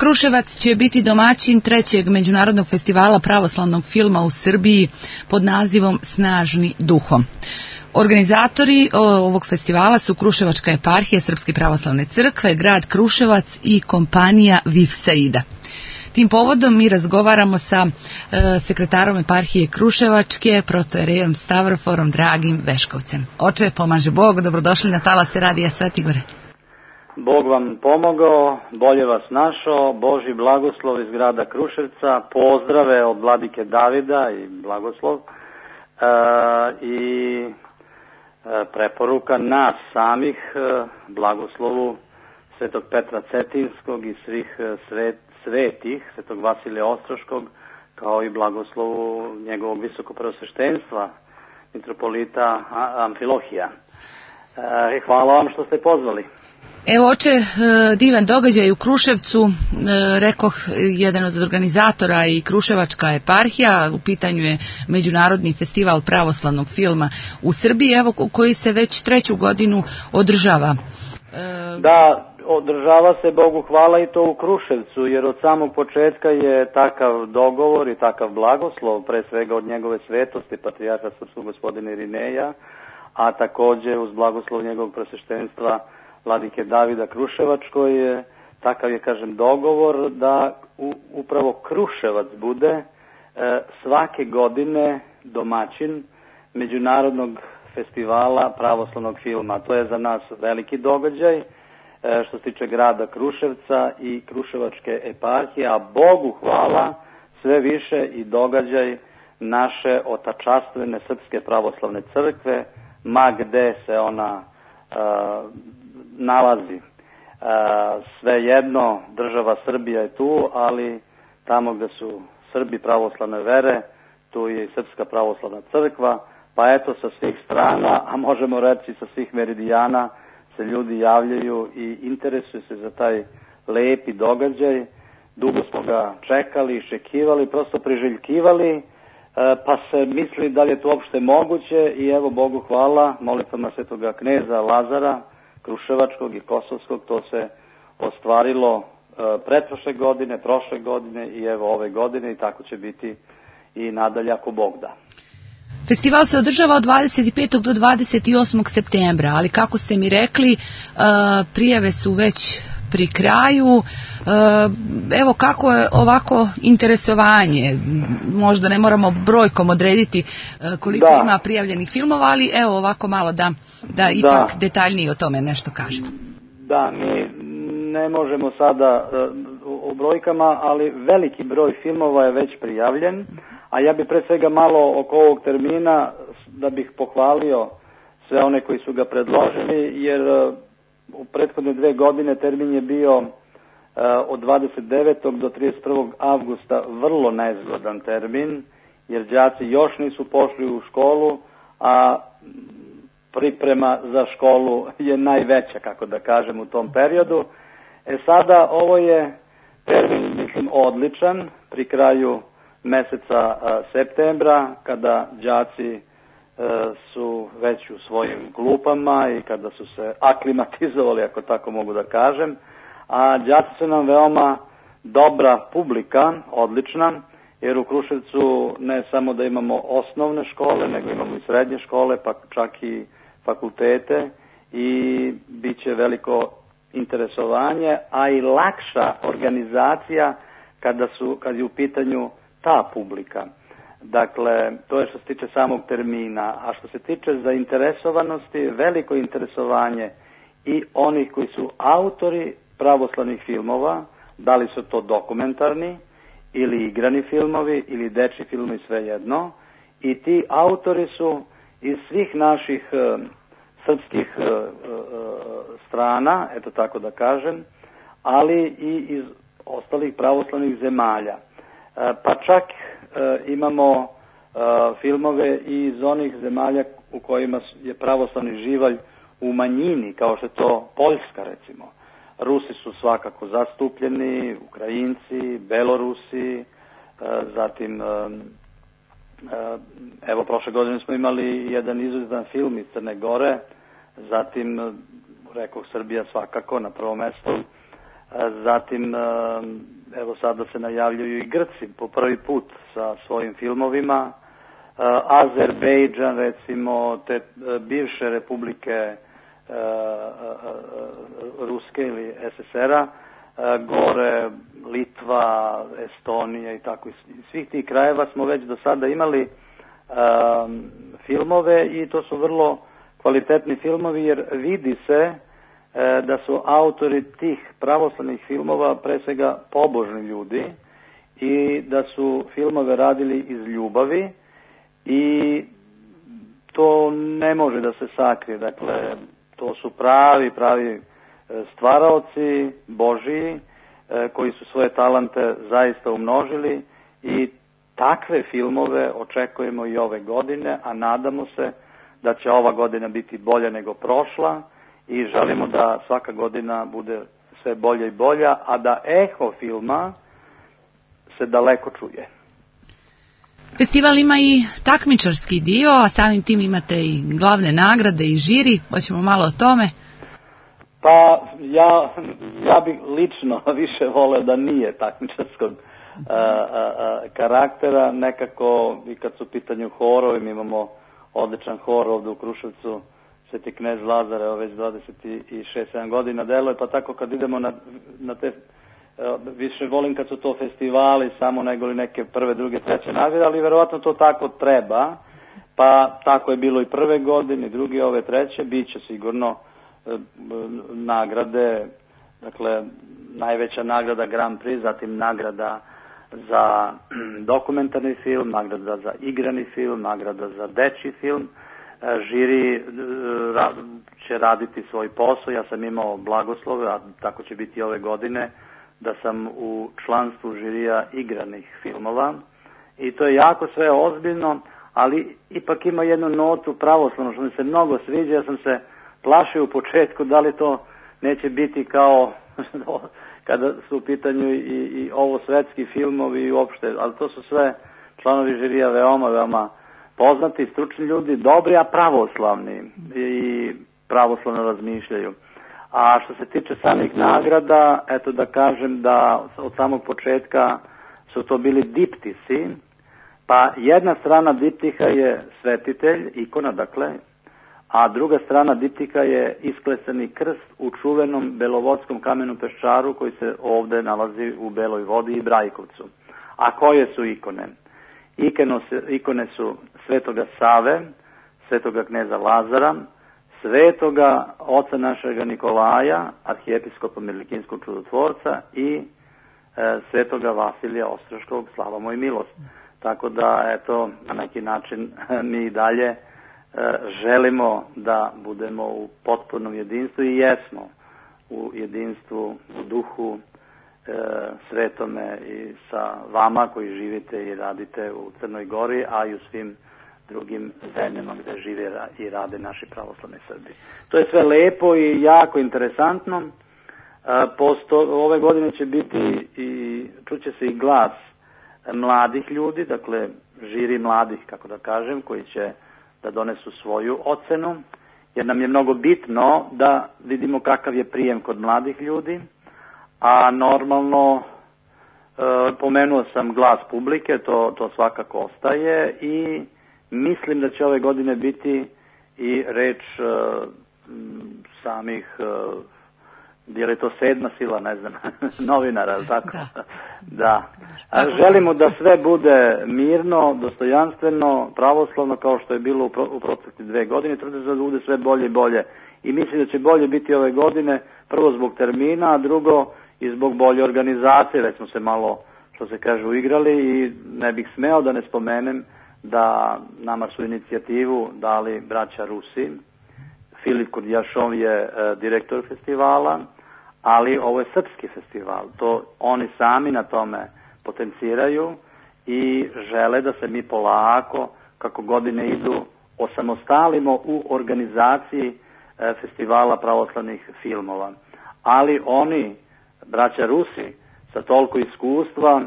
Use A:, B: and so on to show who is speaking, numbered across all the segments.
A: Kruševac će biti domaćin trećeg međunarodnog festivala pravoslavnog filma u Srbiji pod nazivom Snažni duhom. Organizatori ovog festivala su Kruševačka eparhija Srpske pravoslavne crkve, grad Kruševac i kompanija VIF Saida. Tim povodom mi razgovaramo sa sekretarom eparhije Kruševačke, protoerejom Stavroforom Dragim Veškovcem. Oče, pomaže Bog, dobrodošli na talase Radija Svetigore.
B: Bog vam pomogao, bolje vas našao, Božji blagoslov iz grada Kruševca, pozdrave od vladike Davida i blagoslov i preporuka nas samih blagoslovu Svetog Petra Cetinskog i svih svetih, Svetog Vasilija Ostroškog, kao i blagoslovu njegovog visokopreosveštenstva, mitropolita Amfilohija. Hvala vam što ste pozvali.
A: Evo, oče, divan događaj u Kruševcu, rekoh, jedan od organizatora i Kruševačka eparhija, u pitanju je Međunarodni festival pravoslavnog filma u Srbiji, evo, koji se već treću godinu održava.
B: Da, održava se, Bogu hvala, i to u Kruševcu, jer od samog početka je takav dogovor i takav blagoslov, pre svega od njegove svetosti, patrijarha srpskog gospodina Irineja, a takođe uz blagoslov njegovog presveštenstva vladike Davida Kruševačkoj, takav je, kažem, dogovor da upravo Kruševac bude svake godine domaćin Međunarodnog festivala pravoslavnog filma. To je za nas veliki događaj što se tiče grada Kruševca i Kruševačke eparhije, a Bogu hvala sve više i događaj naše otačastvene Srpske pravoslavne crkve, ma gde se ona nalazi. Svejedno, država Srbija je tu, ali tamo gde su Srbi pravoslavne vere, tu je i Srpska pravoslavna crkva, pa eto sa svih strana, a možemo reći sa svih meridijana, se ljudi javljaju i interesuju se za taj lepi događaj. Dugo smo ga čekali, iščekivali, prosto priželjkivali, pa se misli da li je to uopšte moguće i evo, Bogu hvala, molitvama svetoga kneza Lazara Kruševačkog i Kosovskog, to se ostvarilo pretprošle godine, prošle godine i evo ove godine i tako će biti i nadalje ako Bog da.
A: Festival se održava od 25. do 28. septembra, ali kako ste mi rekli, prijave su već pri kraju. Evo kako je ovako interesovanje, možda ne moramo brojkom odrediti koliko ima prijavljenih filmova, ali evo ovako malo da ipak detaljnije o tome nešto kažemo.
B: Da, mi ne možemo sada o brojkama, ali veliki broj filmova je već prijavljen, a ja bih pre svega malo oko ovog termina da bih pohvalio sve one koji su ga predložili, jer u prethodne 2 godine termin je bio od 29. do 31. avgusta vrlo nezgodan termin, jer đaci još nisu pošli u školu, a priprema za školu je najveća, kako da kažem, u tom periodu. Sada ovo je termin, mislim, odličan pri kraju meseca septembra, kada đaci su već u svojim klupama i kada su se aklimatizovali, ako tako mogu da kažem, a đaci su nam veoma dobra publika, odlična, jer u Kruševcu ne samo da imamo osnovne škole, nego imamo i srednje škole, pa čak i fakultete i bit će veliko interesovanje, a i lakša organizacija kad je u pitanju ta publika. Dakle, to je što se tiče samog termina, a što se tiče zainteresovanosti, veliko interesovanje i onih koji su autori pravoslavnih filmova, da li su to dokumentarni ili igrani filmovi ili dečji filmovi, svejedno, i ti autori su iz svih naših srpskih strana, eto tako da kažem, ali i iz ostalih pravoslavnih zemalja. Pa čak imamo filmove i iz onih zemalja u kojima je pravoslavni živalj u manjini, kao što je to Poljska, recimo. Rusi su svakako zastupljeni, Ukrajinci, Belorusi, zatim evo prošle godine smo imali jedan izuzetan film iz Crne Gore, zatim rekoh Srbija svakako na prvom mestu, Zatim, evo sada se najavljuju i Grci po prvi put sa svojim filmovima. Azerbejdžan, recimo, te bivše republike Ruske ili SSR-a, gore Litva, Estonija i tako. Iz svih tih krajeva smo već do sada imali filmove i to su vrlo kvalitetni filmovi jer vidi se da su autori tih pravoslavnih filmova pre svega pobožni ljudi i da su filmove radili iz ljubavi i to ne može da se sakrije. Dakle, to su pravi stvaraoci Božiji koji su svoje talente zaista umnožili i takve filmove očekujemo i ove godine, a nadamo se da će ova godina biti bolja nego prošla i želimo da svaka godina bude sve bolja i bolja, a da eho filma se daleko čuje.
A: Festival ima i takmičarski dio, a samim tim imate i glavne nagrade i žiri. Hoćemo malo o tome?
B: Pa ja bih lično više voleo da nije takmičarskog karaktera. Nekako i kad su u pitanju horovi, mi imamo odličan hor ovde u Kruševcu, Sveti knez Lazar, evo već 26-7 godina deluje, pa tako kad idemo na te, više volim kad su to festivali samo nego li neke prve, druge, treće nagrade, ali verovatno to tako treba, pa tako je bilo i prve godine, druge, ove treće, bit će sigurno nagrade, dakle najveća nagrada Grand Prix, zatim nagrada za dokumentarni film, nagrada za igrani film, nagrada za dečji film. Žiri će raditi svoj posao, ja sam imao blagoslove, a tako će biti ove godine, da sam u članstvu žirija igranih filmova i to je jako sve ozbiljno, ali ipak ima jednu notu pravoslavno što mi se mnogo sviđa. Ja sam se plašio u početku da li to neće biti kao kada su u pitanju i ovo svetski filmovi i uopšte, ali to su sve članovi žirija veoma poznati, stručni ljudi, dobri, a pravoslavni i pravoslavno razmišljaju. A što se tiče samih nagrada, eto da kažem da od samog početka su to bili diptisi, pa jedna strana diptiha je svetitelj, ikona dakle, a druga strana diptika je isklesani krst u čuvenom belovodskom kamenu peščaru koji se ovde nalazi u Beloj Vodi i Brajkovcu. A koje su ikone? Ikone su Svetoga Save, Svetoga kneza Lazara, Svetoga oca našega Nikolaja, arhijepiskopa Milikinskog čudotvorca i Svetoga Vasilija Ostroškog, slava mu i milost. Tako da, eto, na neki način mi i dalje želimo da budemo u potpunom jedinstvu i jesmo u jedinstvu, u duhu svetome i sa vama koji živite i radite u Crnoj Gori, a i u svim drugim zemljama gde žive i rade naši pravoslavni Srbi. To je sve lepo i jako interesantno. Ove godine će biti i čuće se i glas mladih ljudi, dakle žiri mladih, kako da kažem, koji će da donesu svoju ocenu, jer nam je mnogo bitno da vidimo kakav je prijem kod mladih ljudi, a normalno pomenuo sam glas publike, to svakako ostaje i mislim da će ove godine biti i reč samih, je li to sedma sila, ne znam, novinara, tako? Da. Želimo da sve bude mirno, dostojanstveno, pravoslavno, kao što je bilo u protekle 2 godine, trudimo da bude sve bolje i bolje. I mislim da će bolje biti ove godine, prvo zbog termina, a drugo i zbog bolje organizacije, već smo se malo, što se kaže, uigrali i ne bih smeo da ne spomenem da nama su inicijativu dali braća Rusi. Filip Kurdjašov je direktor festivala, ali ovo je srpski festival. To oni sami na tome potenciraju i žele da se mi polako, kako godine idu, osamostalimo u organizaciji festivala pravoslavnih filmova. Ali oni, braća Rusi, sa toliko iskustva,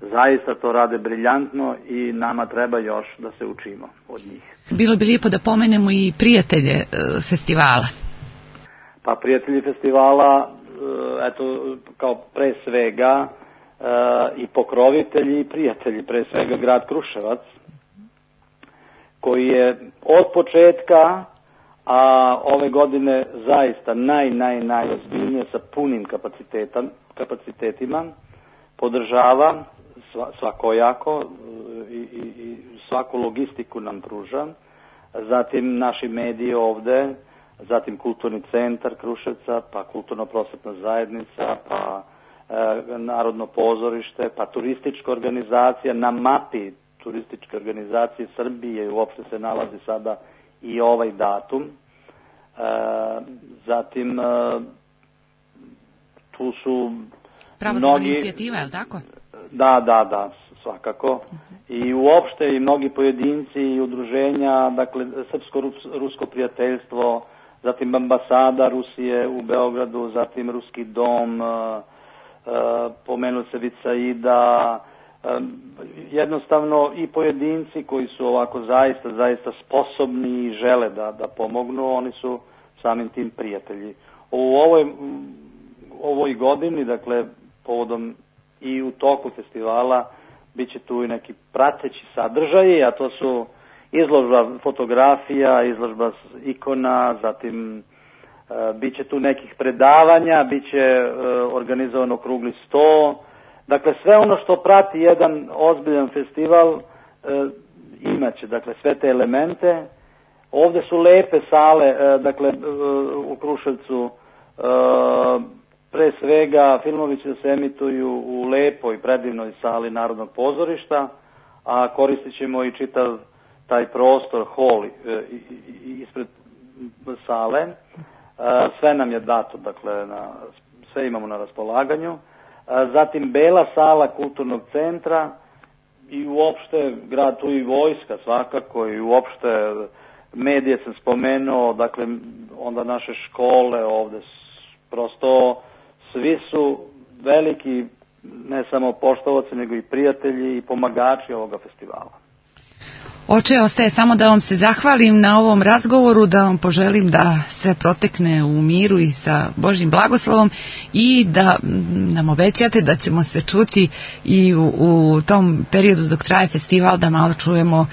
B: zaista to rade briljantno i nama treba još da se učimo od njih.
A: Bilo bi lijepo da pomenemo i prijatelje festivala.
B: Pa prijatelji festivala eto, kao pre svega i pokrovitelji i prijatelji, pre svega grad Kruševac, koji je od početka, a ove godine zaista najozbiljnije sa punim kapacitetima, podržava svakojako i svaku logistiku nam pruža, zatim naši mediji ovde, zatim Kulturni centar Kruševca, pa Kulturno-prosvetna zajednica, pa Narodno pozorište, pa turistička organizacija. Na mapi turističke organizacije Srbije uopšte se nalazi sada i ovaj datum. Zatim tu su
A: pravoslavna inicijativa, je li tako?
B: Da, svakako. I uopšte i mnogi pojedinci i udruženja, dakle Srpsko-rusko prijateljstvo, zatim ambasada Rusije u Beogradu, zatim Ruski dom, pomenuo se Vicaida, jednostavno i pojedinci koji su ovako zaista sposobni i žele da pomognu, oni su samim tim prijatelji. U ovoj godini, dakle, povodom i u toku festivala, bit će tu i neki prateći sadržaji, a to su izložba fotografija, izložba ikona, zatim bit će tu nekih predavanja, bit će organizovano okrugli sto. Dakle, sve ono što prati jedan ozbiljan festival imaće, dakle, sve te elemente. Ovde su lepe sale, dakle, u Kruševcu, pre svega filmovi će se emituju u lepoj, predivnoj sali Narodnog pozorišta, a koristit ćemo i čitav taj prostor, hol ispred sale. Sve nam je dato, dakle, sve imamo na raspolaganju. Zatim Bela sala Kulturnog centra i uopšte grad, tu i vojska svakako, i uopšte medije sam spomenuo, dakle, onda naše škole ovde, prosto svi su veliki, ne samo poštovaci, nego i prijatelji i pomagači ovoga festivala.
A: Oče, ostaje samo da vam se zahvalim na ovom razgovoru, da vam poželim da sve protekne u miru i sa Božjim blagoslovom i da nam obećate da ćemo se čuti i u tom periodu dok traje festival, da malo čujemo,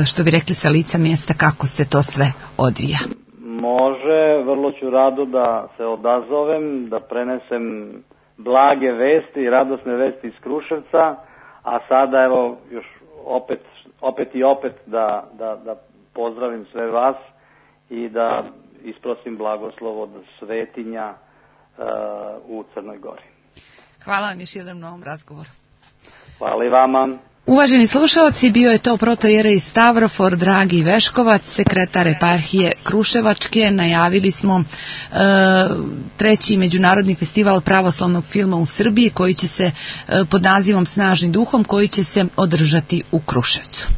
A: što bi rekli, sa lica mjesta kako se to sve odvija.
B: Može, vrlo ću rado da se odazovem, da prenesem blage vesti i radosne vesti iz Kruševca, a sada evo još opet da pozdravim sve vas i da isprosim blagoslov od svetinja u Crnoj Gori.
A: Hvala vam još jednom na ovom razgovoru.
B: Hvala i vama.
A: Uvaženi slušalci, bio je to protojerej Stavrofor Dragi Veškovac, sekretar eparhije Kruševačke. Najavili smo treći međunarodni festival pravoslavnog filma u Srbiji, koji će se pod nazivom Snažni duhom, koji će se održati u Kruševcu.